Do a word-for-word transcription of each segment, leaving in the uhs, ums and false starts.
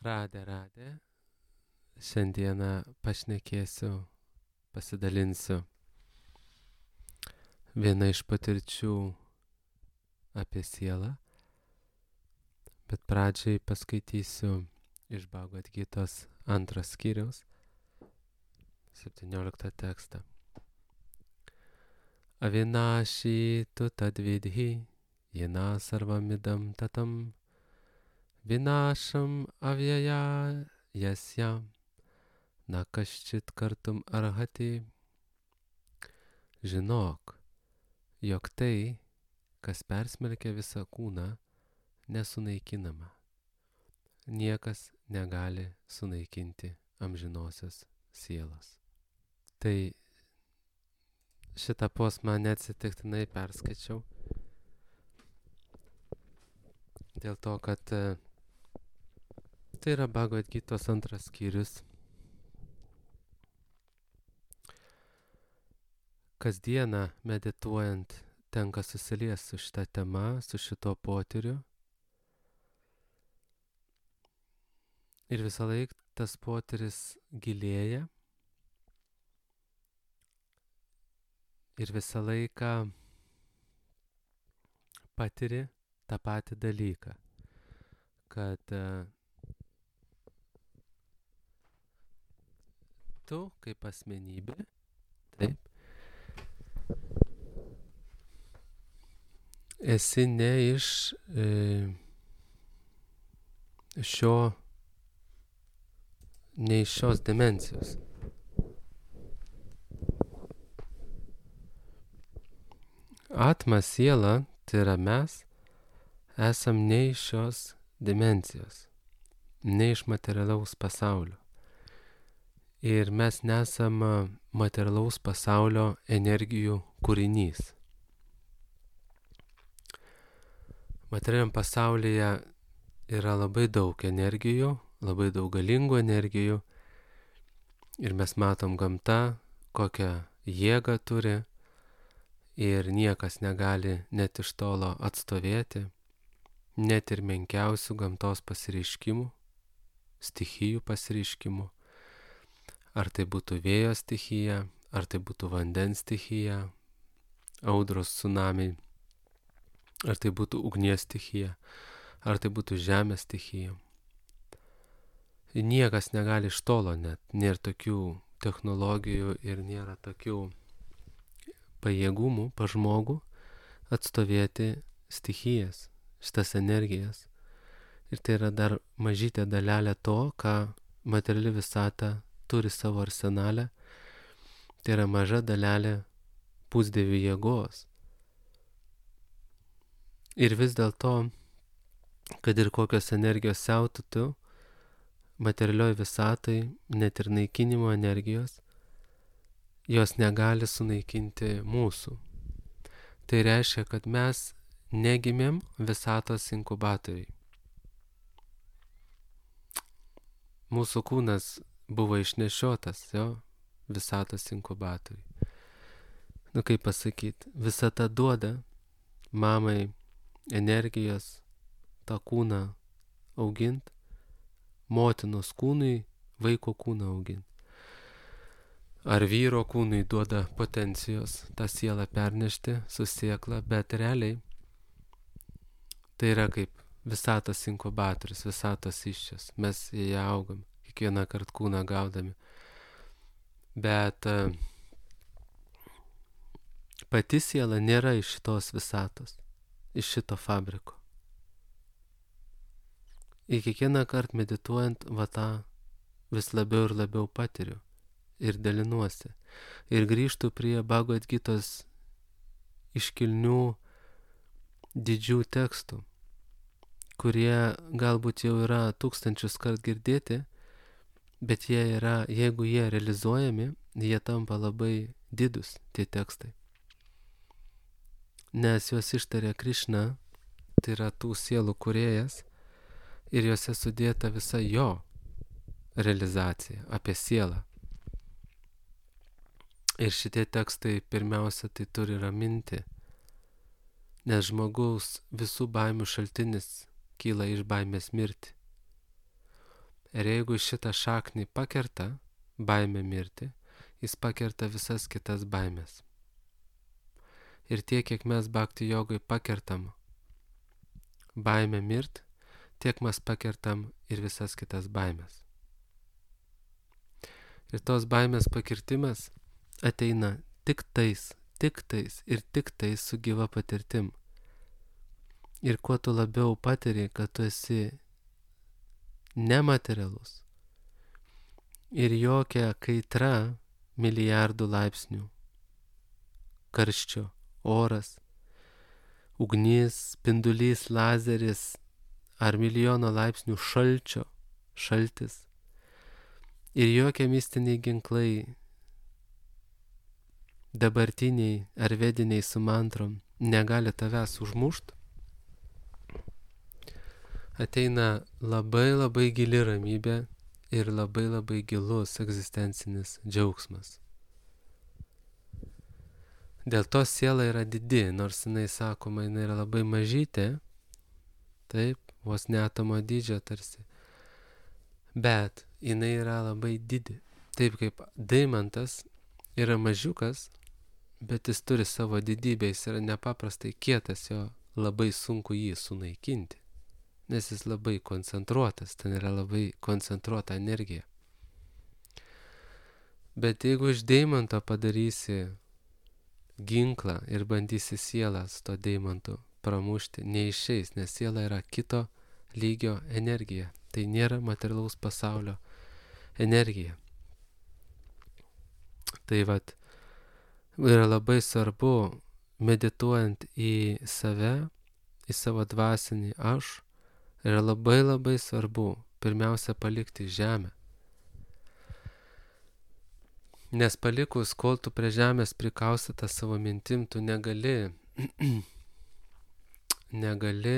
Radė, radė. Šiandieną pašnekėsiu, pasidalinsiu viena iš patirčių apie sielą, bet pradžiai paskaitysiu iš Bhagavad Gitos antros skyriaus, septynioliktą tekstą. Avinashi tu tadvidhi, jena sarvamidam tatam, vinasham avyaya yasya, na kaščit kartum arhati. Žinok, jog tai, kas persmelkia visą kūną, nesunaikinama. Niekas negali sunaikinti amžinosios sielos. Tai šitą posmą neatsitiktinai perskaičiau. Dėl to, kad tai yra Bhagavad Gitos antras skyrius. Kasdieną medituojant tenka susiliesti su šitą temą, su šito potyriu. Ir visą laiką tas potyris gilėja. Ir visą laiką patiri tą patį dalyką, kad uh, tu kaip asmenybė, taip, esi ne iš e, šio, ne iš šios dimensijos. Atma siela, tai yra mes, esam ne iš šios dimensijos, ne iš materialaus pasaulio. Ir mes nesam materialaus pasaulio energijų kūrinys. Materialiam pasaulyje yra labai daug energijų, labai daug galingų energijų. Ir mes matom gamtą, kokią jėgą turi. Ir niekas negali net iš tolo atstovėti, net ir menkiausių gamtos pasireiškimų, stichijų pasireiškimų. Ar tai būtų vėjo stichija, ar tai būtų vandens stichija, audros tsunamiai, ar tai būtų ugnies stichija, ar tai būtų žemės stichija. Ir niekas negali iš tolo net, nėra tokių technologijų ir nėra tokių pajėgumų pa žmogų atstovėti stichijas, šitas energijas. Ir tai yra dar mažytė dalelė to, ką materiali visata turi savo arsenale. Tai yra maža dalelė pusdievių jėgos. Ir vis dėlto, kad ir kokios energijos siautėtų materialioj visatai, net ir naikinimo energijos, jos negali sunaikinti mūsų. Tai reiškia, kad mes negimėm visatos inkubatoriai. Mūsų kūnas buvo išnešiotas, jo, visatos inkubatoriai. Nu kaip pasakyti, visata duoda mamai energijos tą kūną augint, motinos kūnui vaiko kūną augint. Ar vyro kūnui duoda potencijos tą sielą pernešti su sėkla, bet realiai tai yra kaip visatos inkubatorius, visatos iščias. Mes į ją augam, kiekvieną kartą kūną gaudami. Bet uh, pati siela nėra iš šitos visatos, iš šito fabriko. Ir kiekvieną kartą medituojant, va tą vis labiau ir labiau patiriu. Ir dalinuosi. Ir grįžtu prie Bhagavad Gitos iškilnių didžių tekstų, kurie galbūt jau yra tūkstančius kart girdėti, bet jie yra, jeigu jie realizuojami, jie tampa labai didus, tie tekstai. Nes juos ištarė Krišna, tai yra tų sielų kūrėjas, ir juose sudėta visa jo realizacija apie sielą. Ir šitie tekstai pirmiausia tai turi raminti, nes žmogaus visų baimių šaltinis kyla iš baimės mirti. Ir jeigu šitą šaknį pakerta, baimė mirti, jis pakerta visas kitas baimės. Ir tiek, kiek mes bhakti jogai pakertam baimę mirt, tiek mes pakertam ir visas kitas baimės. Ir tos baimės pakirtimas ateina tik tais, tik tais ir tik tais su gyva patirtim. Ir kuo tu labiau patiri, kad tu esi nematerialus ir jokia kaitra milijardų laipsnių, karščio, oras, ugnis, spindulys, lazeris ar milijono laipsnių šalčio, šaltis ir jokie mistiniai ginklai, dabartiniai ar vediniai su mantrom negali tavęs užmušt, ateina labai labai gili ramybė ir labai labai gilus egzistencinis džiaugsmas. Dėl to siela yra didi, nors jinai sakoma, jinai yra labai mažytė, taip, vos ne atomo dydžio tarsi, bet jinai yra labai didi. Taip kaip deimantas yra mažiukas, bet jis turi savo didybę, jis yra nepaprastai kietas, jo labai sunku jį sunaikinti, nes jis labai koncentruotas, ten yra labai koncentruota energija. Bet jeigu iš deimanto padarysi ginklą ir bandysi sielą su to deimantu pramušti, neišeis, nes siela yra kito lygio energija. Tai nėra materialaus pasaulio energija. Tai vat, yra labai svarbu, medituojant į save, į savo dvasinį aš, yra labai labai svarbu pirmiausia palikti žemę. Nes palikus, kol tu prie žemės prikaustytą savo mintim, tu negali, negali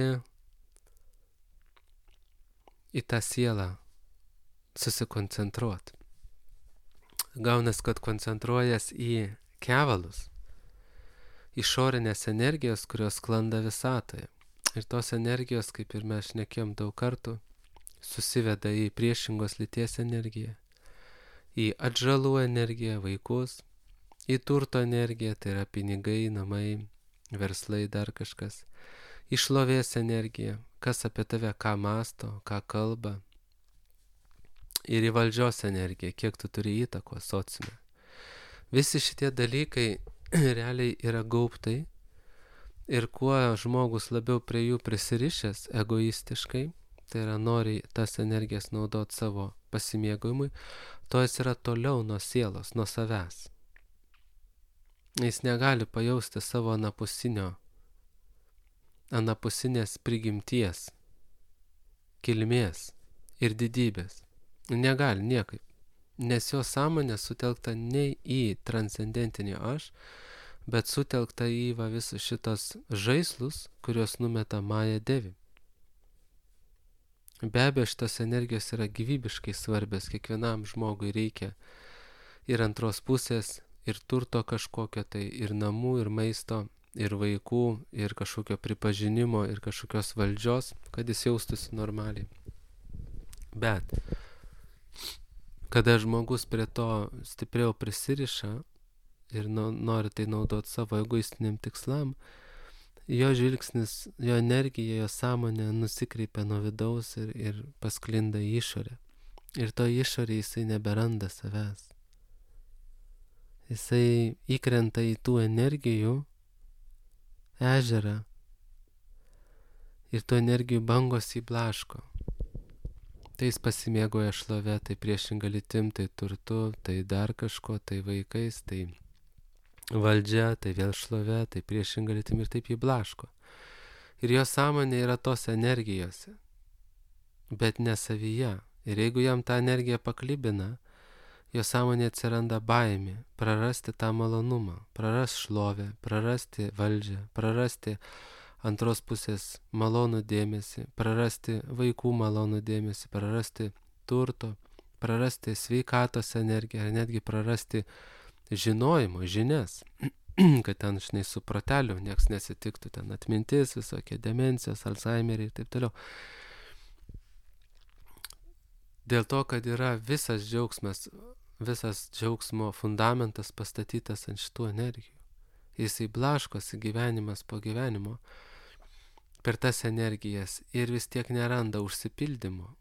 į tą sielą susikoncentruoti. Gaunas, kad koncentruojas į kevalus, išorinės energijos, kurios sklanda visatoje. Ir tos energijos, kaip ir mes šnekėjom daug kartų, susiveda į priešingos lyties energiją, į atžalų energiją, vaikus, į turto energiją, tai yra pinigai, namai, verslai, dar kažkas, į šlovės energiją, kas apie tave ką masto, ką kalba, ir į valdžios energiją, kiek tu turi įtakos sociume. Visi šitie dalykai realiai yra gaubtai ir kuo žmogus labiau prie jų prisirišęs egoistiškai, tai yra nori tas energijas naudoti savo pasimėgojimui, to jis yra toliau nuo sielos, nuo savęs. Jis negali pajausti savo anapusinio, anapusinės prigimties, kilmės ir didybės. Negali niekaip, nes jo sąmonė sutelkta ne į transcendentinį aš, bet sutelkta į va visus šitos žaislus, kurios numeta Maja Devi. Be abejo, šitos energijos yra gyvybiškai svarbios, kiekvienam žmogui reikia ir antros pusės, ir turto kažkokio, tai ir namų, ir maisto, ir vaikų, ir kažkokio pripažinimo, ir kažkokios valdžios, kad jis jaustųsi normaliai. Bet kada žmogus prie to stipriau prisiriša ir nori tai naudoti savo egoistiniam tikslam, jo žvilgsnis, jo energija, jo sąmonė nusikreipia nuo vidaus ir, ir pasklinda į išorę. Ir to išorė jisai neberanda savęs. Jisai įkrenta į tų energijų ežerą ir tų energijų bangos įblaško. Tai jis pasimėgoja šlove, tai priešinga lytim, tai turtu, tai dar kažko, tai vaikais, tai valdžia, tai vėl šlove, tai priešinga lytim ir taip jį blaško. Ir jo sąmonė yra tos energijose, bet ne savyje. Ir jeigu jam tą energiją paklibina, jo sąmonė atsiranda baimė, prarasti tą malonumą, prarasti šlovę, prarasti valdžią, prarasti antros pusės malonų dėmesį, prarasti vaikų malonų dėmesį, prarasti turto, prarasti sveikatos energiją, ar netgi prarasti žinojimo, žinias, kad ten, žinai, su proteliu nieks nesitiktų, ten atmintis, visokie demencijos, Alzheimeriai ir taip toliau. Dėl to, kad yra visas džiaugsmas, visas džiaugsmo fundamentas pastatytas ant šitų energijų. Jisai blaškosi gyvenimas po gyvenimo per tas energijas ir vis tiek neranda užsipildymo.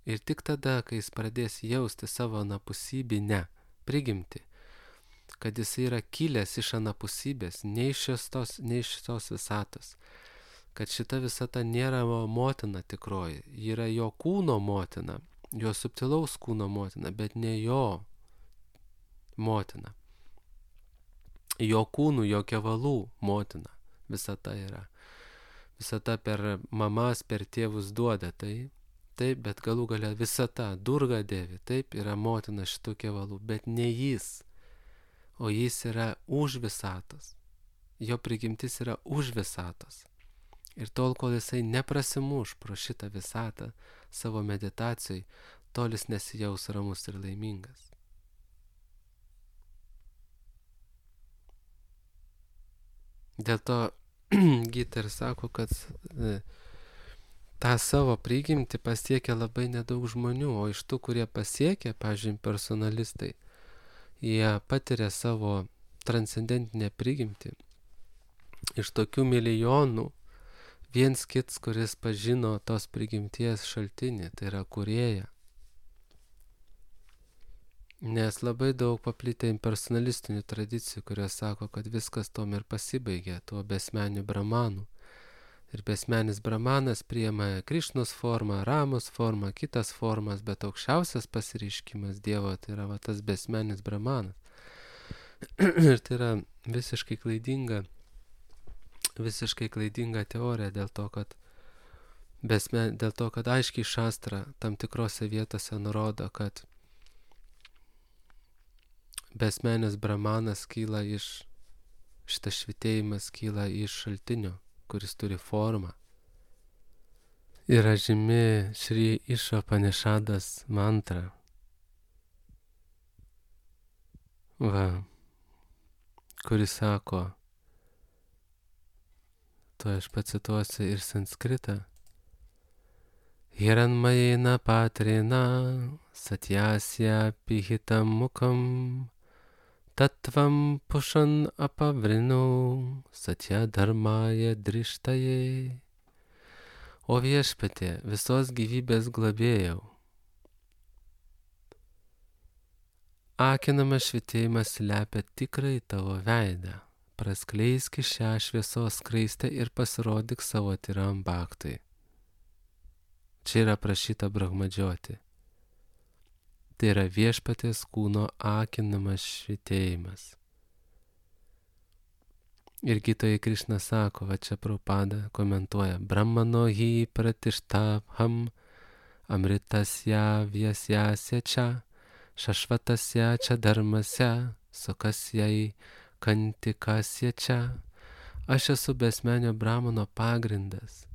Ir tik tada, kai jis pradės jausti savo anapusybinę prigimtį, kad jis yra kilęs iš anapusybės, ne iš šios, ne iš šios visatos, kad šita visata nėra motina tikroji, ji yra jo kūno motina, jo subtilaus kūno motina, bet ne jo motina. Jo kūnų, jo kevalų motina visata yra. Visata per mamas, per tėvus duoda tai, taip, bet galų galia visata, Durga Devi, taip, yra motina šitų kevalų, bet ne jis, o jis yra už visatos. Jo prigimtis yra už visatos. Ir tol, kol jisai neprasimuš pro šitą visatą savo meditacijai, tol jis nesijaus ramus ir laimingas. Dėl to Gita ir sako, kad e, tą savo prigimtį pasiekia labai nedaug žmonių, o iš tų, kurie pasiekia, pavyzdžiui, personalistai, jie patiria savo transcendentinę prigimtį. Iš tokių milijonų viens kits, kuris pažino tos prigimties šaltinį, tai yra kūrėja. Nes labai daug paplitę impersonalistinių tradicijų, kurios sako, kad viskas tom ir pasibaigė, tuo besmeniu brahmanu. Ir besmenis brahmanas priima Krišnos formą, Ramos formą, kitas formas, bet aukščiausias pasireiškimas Dievo tai yra va, tas besmenis brahmanas. Ir tai yra visiškai klaidinga, visiškai klaidinga teorija dėl to, kad, besmen, dėl to, kad aiškiai šastra tam tikrose vietose nurodo, kad besmenis brahmanas kyla iš, šitas švitėjimas kyla iš šaltinio, kuris turi formą. Yra žymi Šri Išapanišadas mantra. Va, kuris sako, to aš pacituosiu ir sanskritą. Hiranmayena patrina satyasya pihitam mukam Tatvam pušan apavrinu satya dharmaya drištaje. O viešpatie, visos gyvybės globėjau, akinamas švitėjimas slepia tikrai tavo veidą. Praskleisk šią šviesos skraistę ir pasirodyk savo tyram bhaktui. Čia yra prašyta Brahmadžioti. Tai yra viešpaties kūno akinamas švitėjimas. Ir Gitoje Krišna sako, va čia Prabhupada komentuoja, Brahmano hi pratishtabham amritasya vyasya cha šašvatasya cha dharmasya sukasyai kantikasya cha. Aš esu besmenio Brahmano pagrindas.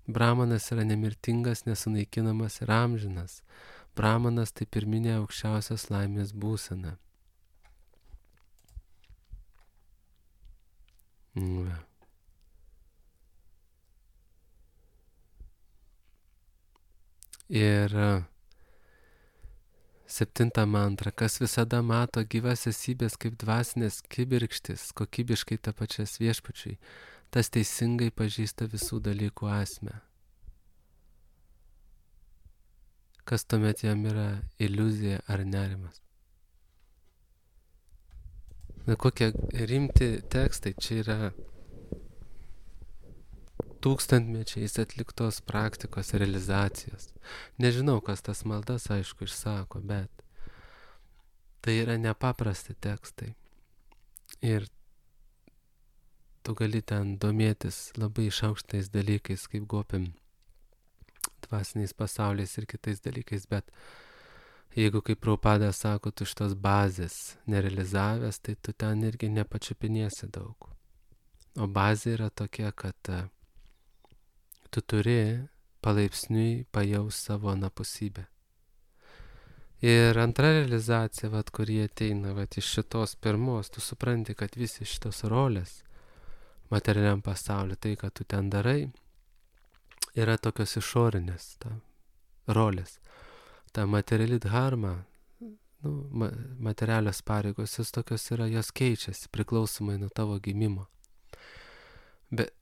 Brahmanas yra nemirtingas, nesunaikinamas ir amžinas. Brahmanas tai pirminė aukščiausios laimės būsena. Va. Ir septinta mantra, kas visada mato gyvas esybės kaip dvasinės kibirkštis, kokybiškai tapačias viešpačiui, tas teisingai pažįsta visų dalykų esmę. Kas tuomet jam yra iliuzija ar nerimas. Na, kokie rimti tekstai, čia yra tūkstantmečiais atliktos praktikos realizacijos. Nežinau, kas tas maldas, aišku, išsako, bet tai yra nepaprasti tekstai. Ir tu gali ten domėtis labai išaukštais dalykais, kaip gopim dvasiniais pasauliais ir kitais dalykais, bet jeigu, kaip Prabhupada sako, tu šitos bazės nerealizavęs, tai tu ten irgi nepačiupinėsi daug. O bazė yra tokia, kad tu turi palaipsniui pajaus savo anapusybę. Ir antra realizacija, vat, kurie ateina vat, iš šitos pirmos, tu supranti, kad visi šitos rolės materialiam pasauliu, tai, kad tu ten darai, yra tokios išorinės ta, rolės. ta materiali dharma, nu, ma, materialios pareigos, jos tokios yra, jos keičiasi priklausomai nuo tavo gimimo. Bet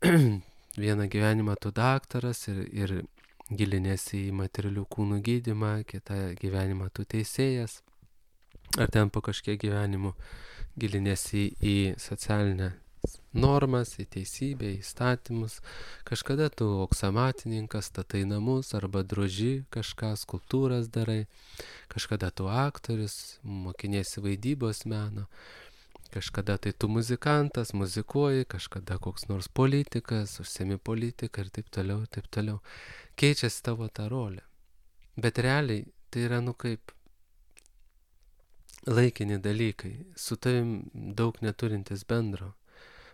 vieną gyvenimą tu daktaras ir, ir gilinėsi į materialių kūnų gydymą, kitą gyvenimą tu teisėjas, ar ten po kažkiek gyvenimų gilinėsi į socialinę normas, į teisybę, į įstatymus. Kažkada tu oksamatininkas, statai namus arba droži kažką, skulptūras darai, kažkada tu aktorius, mokiniesi vaidybos meno, kažkada tai tu muzikantas, muzikuoji, kažkada koks nors politikas, užsiemi politiką ir taip toliau, ir taip toliau. Keičiasi tavo ta rolė. Bet realiai tai yra, nu, kaip laikini dalykai, su tavim daug neturintis bendro.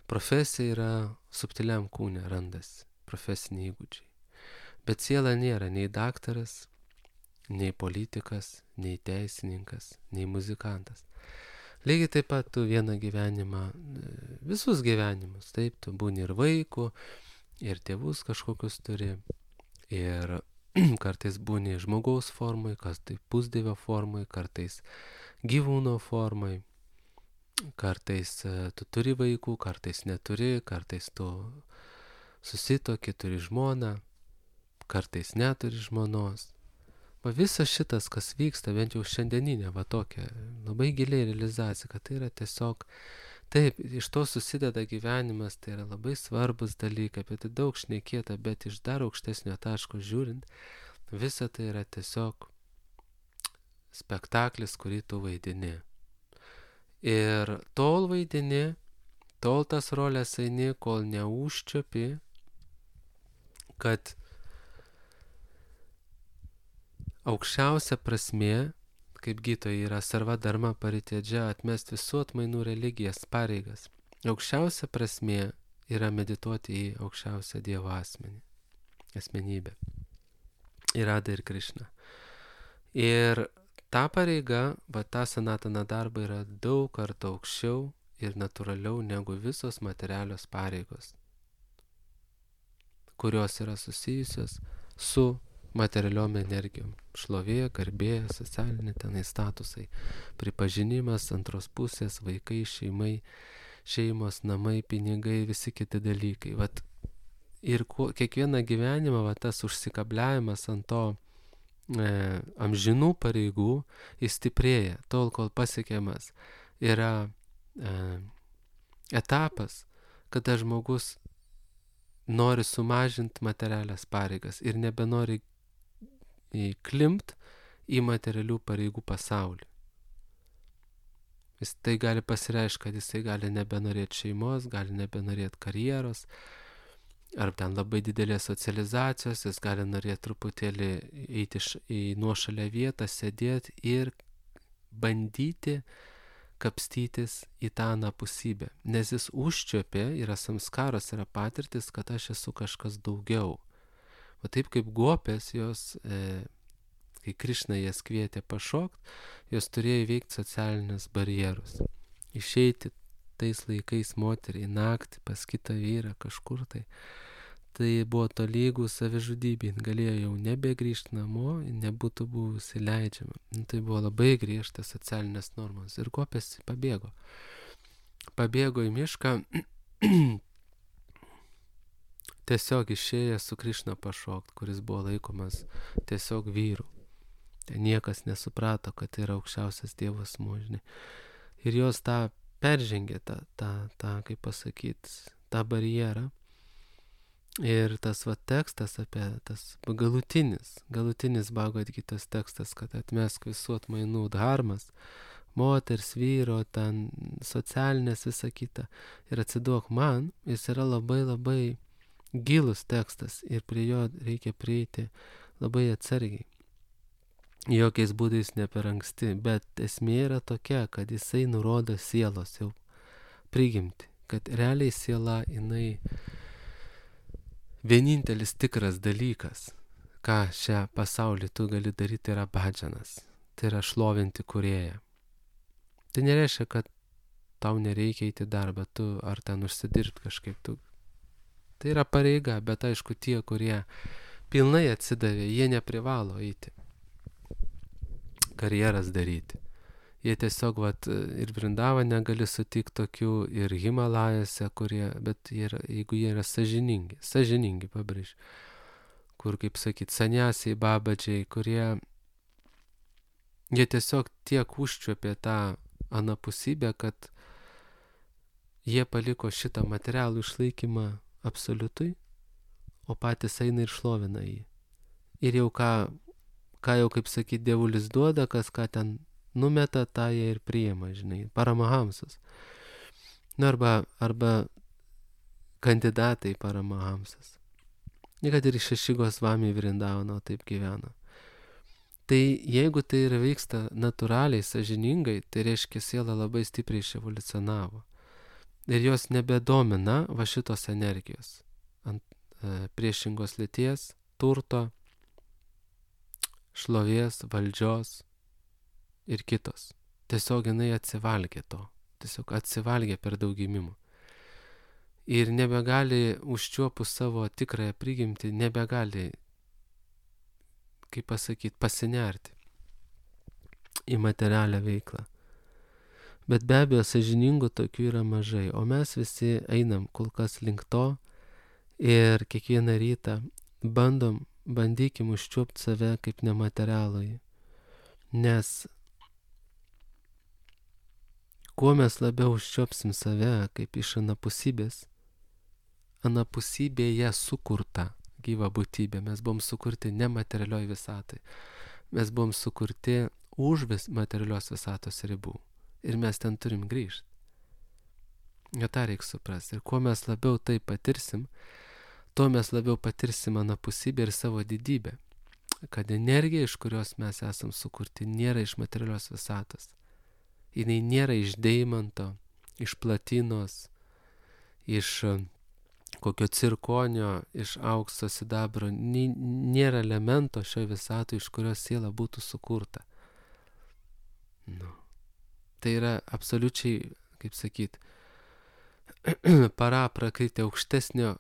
Profesija yra subtiliam kūne randasi, profesiniai įgūdžiai. Bet siela nėra nei daktaras, nei politikas, nei teisininkas, nei muzikantas. Lygiai taip pat tu vieną gyvenimą, visus gyvenimus, taip, tu būni ir vaikų, ir tėvus kažkokius turi, ir kartais būni žmogaus formai, kartais pusdievio formai, kartais gyvūno formai. Kartais tu turi vaikų, kartais neturi, kartais tu susitoki, turi žmoną, kartais neturi žmonos. Va visas šitas, kas vyksta, bent jau šiandieninė, va tokia labai giliai realizacija, kad tai yra tiesiog, taip, iš to susideda gyvenimas, tai yra labai svarbus dalykai, apie tai daug šnekėta, bet iš dar aukštesnio taško žiūrint, visa tai yra tiesiog spektaklis, kurį tu vaidini. Ir tol vaidini, tol tas rolės eini, kol neužčiuopi, kad aukščiausia prasmė, kaip gydytojai yra sarva dharma paritedžia, atmest visų atmainų religijas, pareigas. Aukščiausia prasmė yra medituoti į aukščiausią Dievo asmenį, asmenybę. Ir Radha ir Krišna. Ir ta pareiga, va ta sanatana darba yra daug kartų aukščiau ir natūraliau negu visos materialios pareigos, kurios yra susijusios su materialiom energijom. Šlovė, garbė, socialinė tenai statusai, pripažinimas, antros pusės, vaikai, šeimai, šeimos, namai, pinigai, visi kiti dalykai. Vat, ir kuo, kiekvieną gyvenimą va, tas užsikabliavimas ant to E, amžinų pareigų jis stiprėja, tol kol pasiekiamas yra e, etapas, kada žmogus nori sumažinti materialias pareigas ir nebenori įklimpt į materialių pareigų pasaulį. Jis tai gali pasireiškti, kad jisai gali nebenorėti šeimos, gali nebenorėti karjeros, ar ten labai didelės socializacijos, jis gali norėti truputėlį eiti į nuošalę vietą, sėdėti ir bandyti kapstytis į tą anapusybę. Nes jis užčiuopė, yra samskaros, yra patirtis, kad aš esu kažkas daugiau. O taip kaip gopės, jos, e, kai Krišna jas kvietė pašokt, jos turėjo įveikti socialinius barjerus. Išeiti tais laikais moteriai naktį pas kitą vyrą kažkur tai. Tai buvo tolygų savižudybė, galėjo jau nebegrįžti namo, nebūtų buvusi leidžiama. Tai buvo labai griežtas socialinės normos ir gopės pabėgo. Pabėgo į mišką, tiesiog išėjo su Krišna pašokt, kuris buvo laikomas tiesiog vyru. Niekas nesuprato, kad tai yra aukščiausias Dievo asmuo, žinai. Ir jos tą peržengė tą, tą, tą, kaip pasakyti, tą barjerą. Ir tas va tekstas apie tas galutinis, galutinis Bhagavad Gitos tekstas, kad atmesk visų atmainų dharmas, moters, vyro, ten socialinės, visa kita, ir atsiduok man, jis yra labai labai gilus tekstas ir prie jo reikia prieiti labai atsargiai. Jokiais būdais ne per anksti, bet esmė yra tokia, kad jisai nurodo sielos jau prigimti, kad realiai siela, jinai vienintelis tikras dalykas, ką šią pasaulį tu gali daryti, yra bhadžanas, tai yra šlovinti kūrėją. Tai nereiškia, kad tau nereikia eiti darbą, tu ar ten užsidirbti kažkaip tu. Tai yra pareiga, bet aišku tie, kurie pilnai atsidavė, jie neprivalo eiti. karjeras daryti. Jie tiesiog, vat, ir Vrindavane gali sutikti tokių, ir Himalajose, kurie, bet jie yra, jeigu jie yra sąžiningi, sąžiningi, pabrėžiu, kur, kaip sakyt, saniasiai, babadžiai, kurie, jie tiesiog tiek užčiuopė tą anapusybę, kad jie paliko šitą materialų išlaikymą absoliutui, o patys eina ir šlovina jį. Ir jau ką, ką jau, kaip sakyt, dievulis duoda, kas ką ten numeta, tą jie ir priima, žinai, paramahamsas. Nu, arba, arba kandidatai paramahamsas. Ir kad ir šešigos vami Vrindavano taip gyveno. Tai jeigu tai ir vyksta natūraliai, sąžiningai, tai reiškia siela labai stipriai iševoliucionavo. Ir jos nebedomina va šitos energijos. Ant e, priešingos lyties, turto, šlovės, valdžios ir kitos. Tiesiog jinai atsivalgė to. Tiesiog atsivalgė per daug gimimų. Ir nebegali užčiuopus savo tikrąją prigimtį, nebegali, kaip pasakyti, pasinerti į materialią veiklą. Bet be abejo, sąžiningų tokių yra mažai, o mes visi einam kol kas link to ir kiekvieną rytą bandom, bandykim užčiuopti save kaip nematerialųjį. Nes kuo mes labiau užčiuopsim save kaip iš anapusybės, anapusybėje sukurta gyva būtybė, mes buvom sukurti nematerialioj visatai, mes buvom sukurti už vis materialios visatos ribų. Ir mes ten turim grįžti. Jo tą reikia suprasti. Ir kuo mes labiau tai patirsim, tuo mes labiau patirsim anapusybę ir savo didybę. Kad energija, iš kurios mes esam sukurti, nėra iš materialios visatos. Jinai nėra iš deimanto, iš platinos, iš kokio cirkonio, iš aukso, sidabro. Nėra elemento šio visato, iš kurios siela būtų sukurta. Nu. Tai yra absoliučiai, kaip sakyt, para prakriti aukštesnio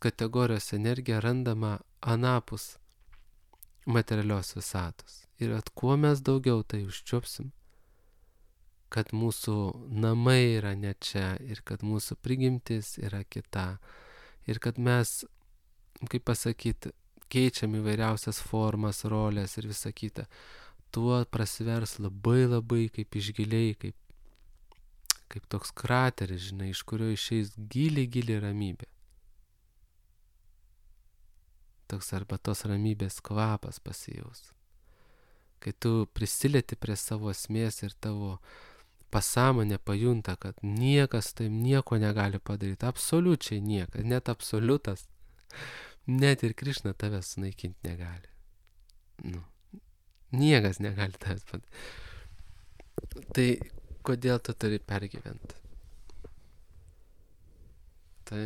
kategorijos energija randama anapus materialios visatos. Ir at kuo mes daugiau tai užčiuopsim, kad mūsų namai yra ne čia ir kad mūsų prigimtis yra kita. Ir kad mes, kaip pasakyt, keičiam įvairiausias formas, rolės ir visa kita. Tuo prasivers labai labai kaip iš giliai, kaip, kaip toks krateris, žinai, iš kurio išeis giliai giliai ramybė. Toks arba tos ramybės kvapas pasijaus. Kai tu prisilieti prie savo esmės ir tavo pasąmonė pajunta, kad niekas taip nieko negali padaryti, absoliučiai niekas, net absoliutas, net ir Krišna tavęs sunaikinti negali. Nu. Niekas negali tavęs padaryti. Tai kodėl tu turi pergyventi? Tai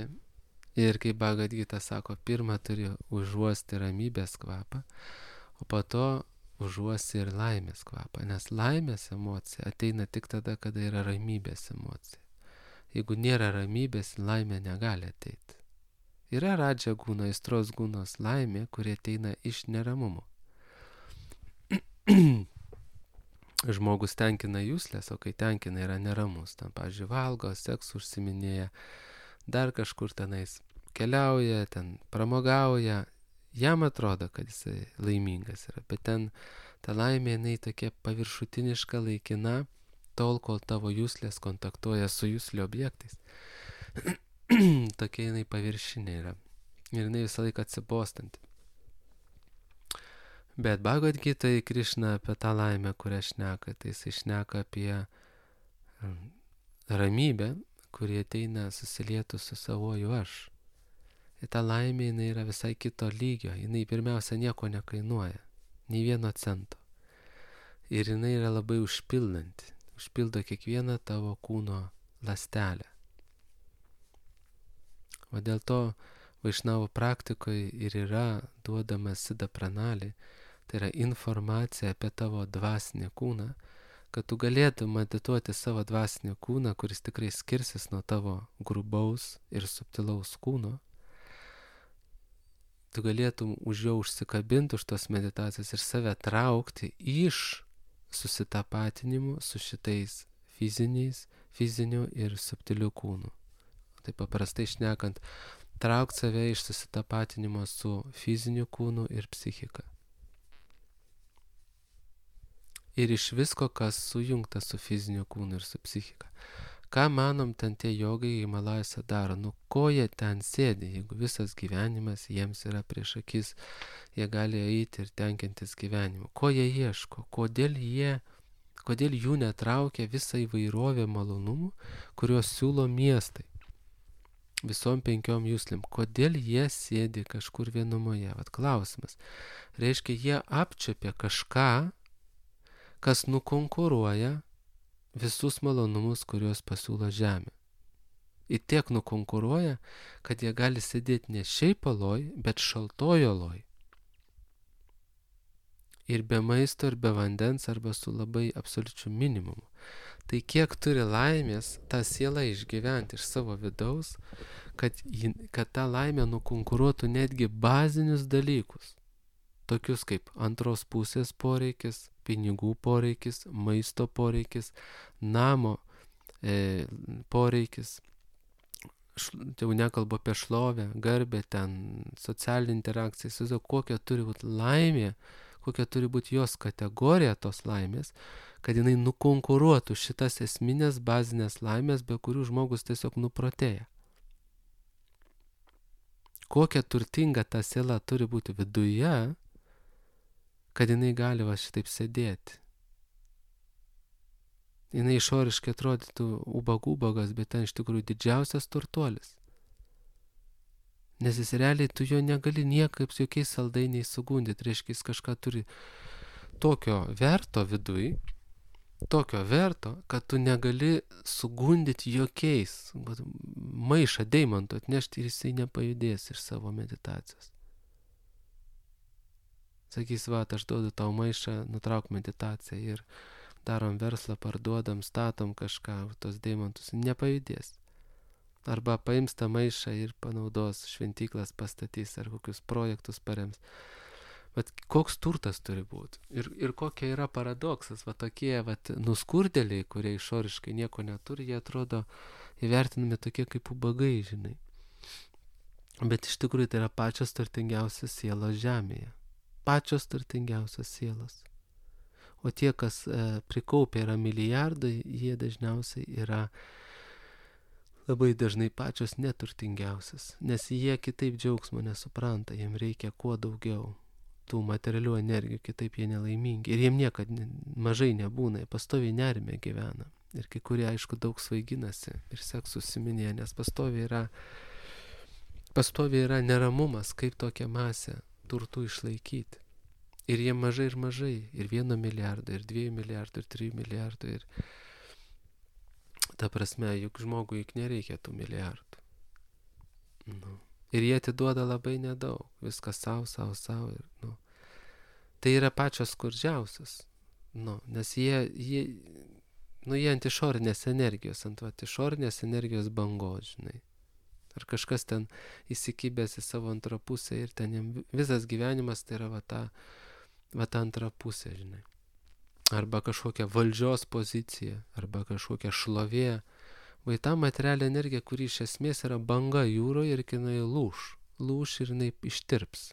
ir kaip Bhagavad Gita sako, pirmą turi užuosti ramybės kvapą, o po to užuosti ir laimės kvapą. Nes laimės emocija ateina tik tada, kada yra ramybės emocija. Jeigu nėra ramybės, laimė negali ateiti. Yra radža gūna, aistros gūnos laimė, kurie ateina iš neramumo. Žmogus tenkina jūslės, o kai tenkina yra neramus. Tam, pavyzdžiui, valgo, seksų užsiminėja, dar kažkur tenais keliauja, ten pramogauja. Jam atrodo, kad jisai laimingas yra, bet ten ta laimė, jinai tokia paviršutiniška, laikina, tol, kol tavo jūslės kontaktuoja su jūslio objektais. Tokia jinai paviršinė yra. Ir jinai visą laiką atsibostanti. Bet Bhagavad Gita į Krišną apie tą laimę, kurią šneka, tai jisai šneka apie ramybę, kurie ateina susilietų su savoju aš. Ir ta laimė, jinai yra visai kito lygio, jinai pirmiausia nieko nekainuoja, nei vieno cento. Ir jinai yra labai užpildanti, užpildo kiekvieną tavo kūno ląstelę. O dėl to Vaišnavo praktikoje ir yra duodama Siddha Pranali, tai yra informacija apie tavo dvasinį kūną, kad tu galėtum medituoti savo dvasinį kūną, kuris tikrai skirsis nuo tavo grubaus ir subtilaus kūno. Tu galėtum už jo užsikabinti už tos meditacijos ir save traukti iš susitapatinimu su šitais fiziniais, fiziniu ir subtiliu kūnu. Tai paprastai šnekant, traukti save iš susitapatinimo su fiziniu kūnu ir psichika. Ir iš visko, kas sujungta su fiziniu kūnu ir su psichika. Ką manom ten tie jogai Himalajose daro? Nu, ko jie ten sėdi, jeigu visas gyvenimas jiems yra prieš akis, jie gali eiti ir tenkintis gyvenimu. Ko jie ieško? Kodėl jie, kodėl jų netraukia visą įvairovę malonumų, kuriuos siūlo miestai? Visom penkiom jūslim. Kodėl jie sėdi kažkur vienumoje? Vat klausimas. Reiškia, jie apčiopia kažką, kas nukonkuruoja visus malonumus, kuriuos pasiūlo žemė. Ir tiek nukonkuruoja, kad jie gali sėdėti ne šiaip oloj, bet šaltoj oloj. Ir be maisto, ir be vandens, arba su labai absoliučiu minimumu. Tai kiek turi laimės tą sielą išgyventi iš savo vidaus, kad, kad ta laimė nukonkuruotų netgi bazinius dalykus. Tokius kaip antros pusės poreikis, pinigų poreikis, maisto poreikis, namo e, poreikis, Š, jau nekalbu apie šlovę, garbę, ten socialinį interakciją, įsivaizduoju, kokia turi būti laimė, kokia turi būti jos kategorija tos laimės, kad jinai nukonkuruotų šitas esminės bazinės laimės, be kurių žmogus tiesiog nuprotėja. Kokia turtinga ta siela turi būti viduje, kad jinai gali va šitaip sėdėti. Jinai išoriškai atrodytų ubag-ubagas, bet ten iš tikrųjų didžiausias turtuolis. Nes jis realiai tu jo negali niekaip su jokiais saldainiais sugundyti. Reiškia, jis kažką turi tokio verto viduj, tokio verto, kad tu negali sugundyti jokiais. Maišą deimantų atnešti ir jisai nepajudės iš savo meditacijos. Sakys, va, aš duodu tau maišą, nutrauk meditaciją ir darom verslą, parduodam, statom kažką, tos deimantus, nepajudės. Arba paims tą maišą ir panaudos, šventyklas pastatys ar kokius projektus parems. Bet koks turtas turi būti? Ir, ir kokia yra paradoksas, va tokie va, nuskurdėliai, kurie išoriškai nieko neturi, jie atrodo įvertinami tokie kaip ubagai, žinai. Bet iš tikrųjų tai yra pačios turtingiausios sielos žemėje. Pačios turtingiausios sielos. O tie, kas e, prikaupia yra milijardai, jie dažniausiai yra labai dažnai pačios neturtingiausias, nes jie kitaip džiaugsmo nesupranta, jiem reikia kuo daugiau tų materialių energijų, kitaip jie nelaimingi. Ir jiem niekad mažai nebūna, jie pastoviai nerime gyvena. Ir kai kurie, aišku, daug svaiginasi ir seksu užsiminėja, nes pastoviai yra, pastoviai yra neramumas, kaip tokią masę turtų išlaikyti. Ir jie mažai ir mažai, ir vieno milijardo, ir dviejų milijardų, ir trijų milijardų. Ir ta prasme, juk žmogui juk nereikia tų milijardų. Nu. Ir jie atiduoda labai nedaug, viskas savo, savo, savo. Ir, nu. Tai yra pačios skurdžiausios, nu, nes jie, jie, nu, jie ant išorinės energijos, ant va, išorinės energijos bangos, žinai. Ar kažkas ten įsikibęs į savo antrą pusę ir ten jam visas gyvenimas tai yra va ta, va ta antra pusė, žinai. Arba kažkokia valdžios pozicija, arba kažkokia šlovė. Vai ta materialinė energija, kuri iš esmės yra banga jūroje ir jinai lūš. Lūš ir jinai ištirps.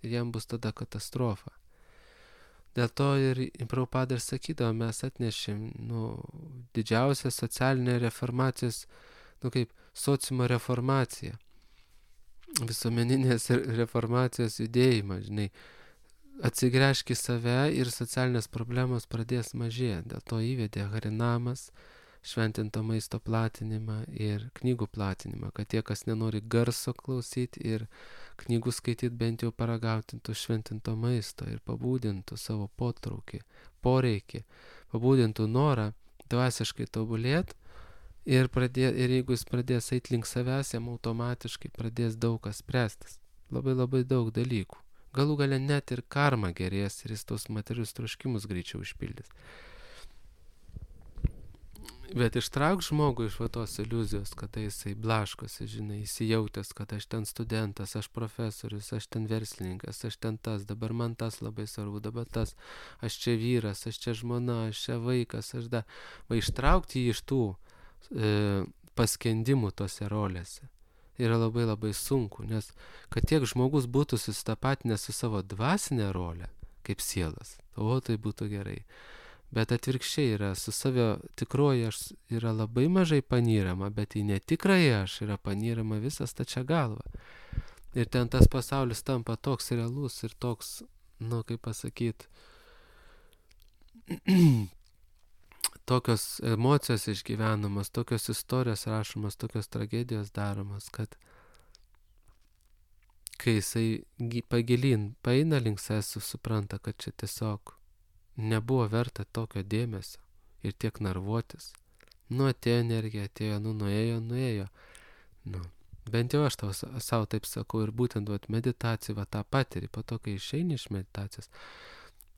Ir jam bus tada katastrofa. Dėl to ir Prabhupada ir sakydavo, mes atnešėm nu, didžiausią socialinę reformacijos, nu kaip sociumo reformacija, visuomeninės reformacijos judėjimą, žinai, atsigręžk į save ir socialinės problemos pradės mažėti. Dėl to įvedė harinamas, šventinto maisto platinimą ir knygų platinimą, kad tie, kas nenori garso klausyti ir knygų skaityti, bent jau paragautintų šventinto maisto ir pabūdintų savo potraukį, poreikį, pabūdintų norą dvasiškai tobulėti. Ir, pradė, ir jeigu jis pradės eiti link savęs, jam automatiškai pradės daug kas spręstis. Labai labai daug dalykų. Galų gale net ir karma gerės ir jis tos materialius troškimus greičiau išpildys. Bet ištrauk žmogų iš va tos iliuzijos, kada jisai blaškosi, žinai, įsijautęs, kad aš ten studentas, aš profesorius, aš ten verslininkas, aš ten tas, dabar man tas labai svarbu, dabar tas, aš čia vyras, aš čia žmona, aš čia vaikas, aš da. Va ištraukti jį iš tų e, paskendimų tose rolėse yra labai labai sunku, nes kad tiek žmogus būtų susitapatinęs su savo dvasinė rolė, kaip sielas, o tai būtų gerai. Bet atvirkščiai yra, su savio tikroji aš yra labai mažai panyrama, bet į netikrąjį aš yra panyrama visas tačia galva. Ir ten tas pasaulis tampa toks realus ir toks, nu kaip pasakyti, tokios emocijos išgyvenamos, tokios istorijos rašomos, tokios tragedijos daromos, kad kai jisai pagilin, paeina link savęs, supranta, kad čia tiesiog nebuvo verta tokio dėmesio ir tiek narvuotis. Nu, atėjo energija, atėjo, nu, nuėjo, nuėjo. Nu, bent jau aš tau savo taip sakau ir būtent vat, meditacijai va tą patiri, po to, kai išeini iš meditacijos,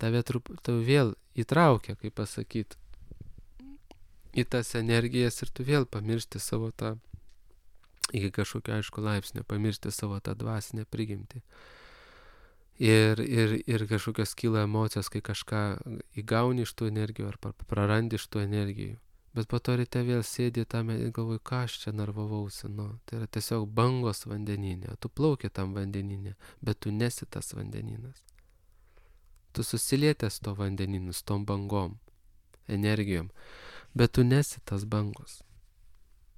tave trup, tau vėl įtraukia, kaip pasakyti, į tas energijas ir tu vėl pamiršti savo tą, iki kažkokio aišku laipsnio, pamiršti savo tą dvasinę prigimtį. Ir, ir, ir kažkokios kyla emocijos, kai kažką įgauni iš tų energijų ar prarandi iš tų energijų. Bet po to ryte vėl sėdi tame ir galvoji, ką aš čia narvavausi. Nu, tai yra tiesiog bangos vandeninė. Tu plauki tam vandeninė, bet tu nesi tas vandeninas. Tu susilietęs to vandeninu, su tom bangom, energijom, bet tu nesi tas bangos.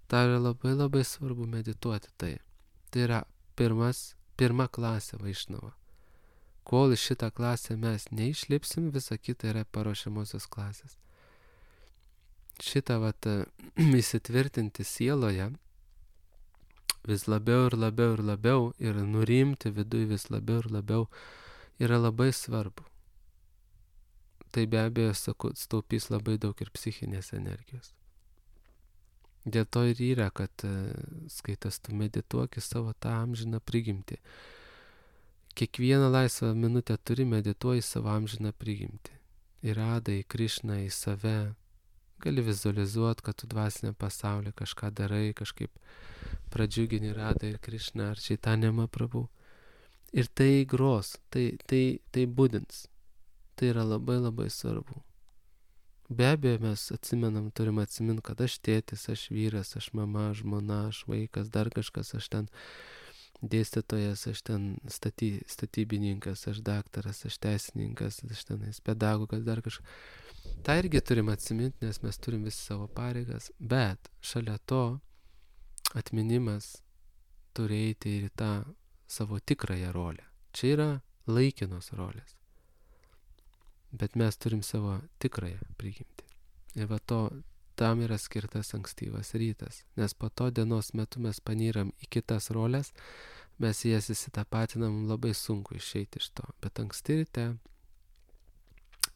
Tai yra labai labai svarbu medituoti tai. Tai yra pirmas, pirma klasė Vaišnava. Kol iš šitą klasę mes neišlipsim, visa kita yra paruošiamosios klasės. Šitą vat įsitvirtinti sieloje vis labiau ir labiau ir labiau ir nurimti viduj vis labiau ir labiau yra labai svarbu. Tai be abejo, sakau, staupys labai daug ir psichinės energijos. Dėl to ir yra, kad skaitas tu medituoki savo tą amžiną prigimtį. Kiekvieną laisvą minutę turi medituoji savo amžiną prigimtį. Į Radą, į Krišną, į save. Gali vizualizuoti, kad tu dvasinę pasaulį kažką darai, kažkaip pradžiugini Radą ir Krišną ar Čaitanją Mahaprabhu. Ir tai gros, tai, tai, tai būdins. Tai yra labai labai svarbu. Be abejo, mes atsimenam, turim atsiminti, kad aš tėtis, aš vyras, aš mama, žmona, aš vaikas, dar kažkas, aš ten dėstytojas, aš ten staty, statybininkas, aš daktaras, aš teisininkas, aš tenais pedagogas, dar kažkas. Tai irgi turim atsiminti, nes mes turim visi savo pareigas, bet šalia to atminimas turi eiti ir tą savo tikrąją rolę. Čia yra laikinos rolės. Bet mes turim savo tikrąją prigimtį. Ir va to, tam yra skirtas ankstyvas rytas, nes po to dienos metu mes panyram į kitas rolės, mes jas įsitapatinam, labai sunku išeiti iš to. Bet anksti ryte,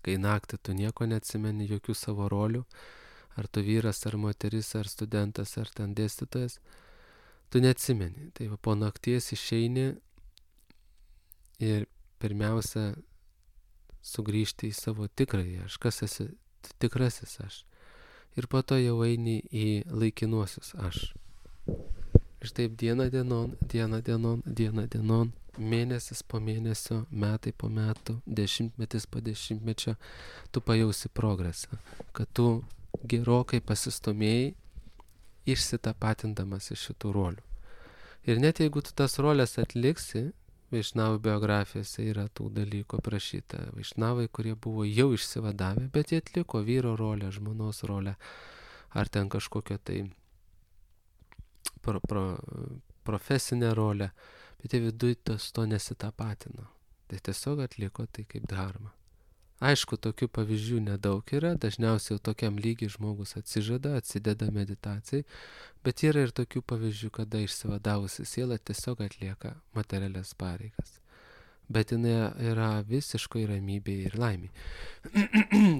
kai naktį tu nieko neatsimeni, jokių savo rolių, ar tu vyras, ar moteris, ar studentas, ar ten dėstytojas, tu neatsimeni. Tai va, po nakties išeini ir pirmiausia sugrįžti į savo tikrąjį aš, kas esi tikrasis aš. Ir po to jau eini į laikinuosius aš. Ir taip diena dienon, diena dienon, diena dienon, mėnesis po mėnesio, metai po metų, dešimtmetis po dešimtmečio, tu pajausi progresą, kad tu gerokai pasistumėjai išsitapatindamas iš šitų rolių. Ir net jeigu tu tas rolės atliksi, Vaišnavų biografijose yra tų dalykų aprašyta. Vaišnavai, kurie buvo jau išsivadavę, bet jie atliko vyro rolę, žmonos rolę, ar ten kažkokią tai pro, pro, profesinę rolę, bet jie viduj tos to nesitapatino. Tai tiesiog atliko tai kaip dharma. Aišku, tokių pavyzdžių nedaug yra, dažniausiai jau tokiam lygiai žmogus atsižada, atsideda meditacijai, bet yra ir tokių pavyzdžių, kada išsivadavusi siela tiesiog atlieka materialias pareigas. Bet jinai yra visiškai ramybėje ir laimėje.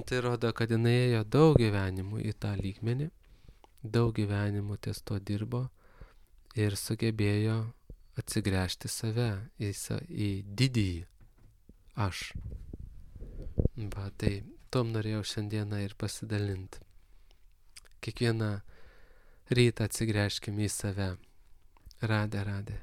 Tai rodo, kad jinai ėjo daug gyvenimų į tą lygmenį, daug gyvenimų ties to dirbo ir sugebėjo atsigręžti save į, į didįjį aš. Va, tai tom norėjau šiandieną ir pasidalinti. kiekvieną rytą atsigręžkime į save. Radė, radė.